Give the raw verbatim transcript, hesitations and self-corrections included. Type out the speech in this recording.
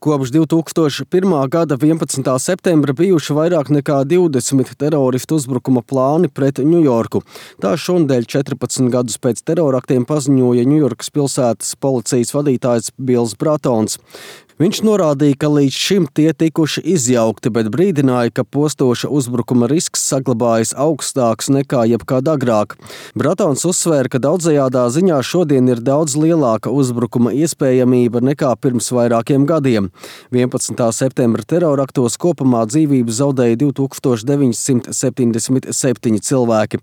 Kopš divi tūkstoši pirmā gada vienpadsmitā septembra bijuši vairāk nekā divdesmit teroristu uzbrukuma plāni pret Ņujorku. Tā šonedēļ četrpadsmit gadus pēc teroraktiem paziņoja Ņujorkas pilsētas policijas vadītājs Bills Bratons. Viņš norādīja, ka līdz šim tie tikuši izjaukti, bet brīdināja, ka postoša uzbrukuma risks saglabājas augstāks nekā jebkad agrāk. Bratons uzsvēra, ka daudzajādā ziņā šodien ir daudz lielāka uzbrukuma iespējamība nekā pirms vairākiem gadiem. vienpadsmitā septembra teroraktos kopumā dzīvību zaudēja divi tūkstoši deviņsimt septiņdesmit septiņi cilvēki.